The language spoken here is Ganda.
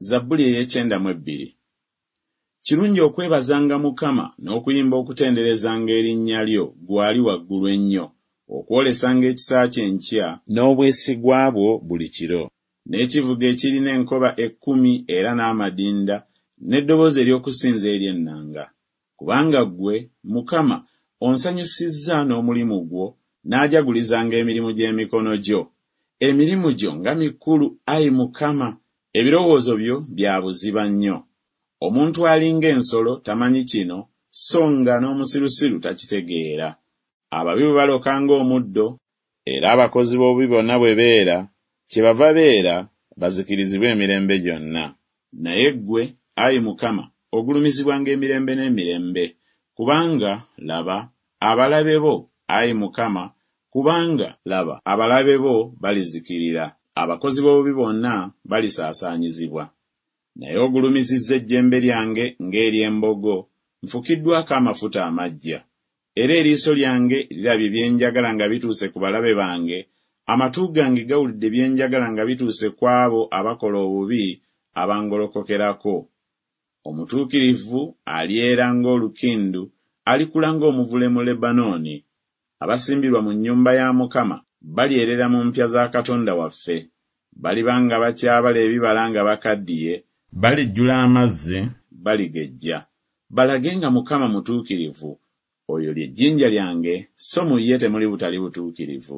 Zabbuli ey'ekyenda mu ebbiri. Kirungi okwebazanga Mukama n'okuyimba okutenderezanga erinnya lyo, ggwe Ali Waggulu Ennyo, okwolesanga ekisa kyo enkya, n'obwesigwa bwo buli kiro, n'ekivuga ekirina enkoba ekkumi era n'amadinda, n'eddoboozi ery'okusinza ery'ennanga. Kubanga ggwe, Mukama, onsanyusizza n'omulimu gwo, naajagulizanga emirimu gy'emikono gyo. Emirimu gyo nga mikulu, ai Mukama! Ebirowoozo byo bya buziba nnyo. Omuntu ali ng'ensolo tamanyi kino, So nga n'omusirusiru takitegeera, Ababi bwe baloka ng'omuddo, Era abakozi b'obubi bonna bwe beera, Kyebava beera, bazikirizibwe emirembe gyonna. Naye ggwe, ai Mukama, ogulumizibwanga emirembe n'emirembe, Kubanga, laba, abalabe bo, ai Mukama, Kubanga, laba, abalabe bo balizikirira, Abakozi b'obubi bonna balisaasaanyizibwa. Naye ogulumizizza ejjembe lyange ng'ery'embogo, Nfukiddwako amafuta amaggya. Era eriiso lyange lirabye bye njagala nga bituuse ku balabe bange, Amatu gange gawulidde bye njagala nga bituuse ku abo abakola obubi abangolokokerako. Omutuukirivu alyera ng'olukindu, Alikula ng'omuvule mu Lebanooni. Abasimbirwa mu nnyumba ya Mukama Balyerera mu mpya za Katonda waffe. Baliba nga bakyabala ebibala nga bakaddiye, Balijjula amazzi, baligejja, Balage nga Mukama mutuukirivu, Oyo lye jjinja lyange, so mu ye temuli butali butuukirivu.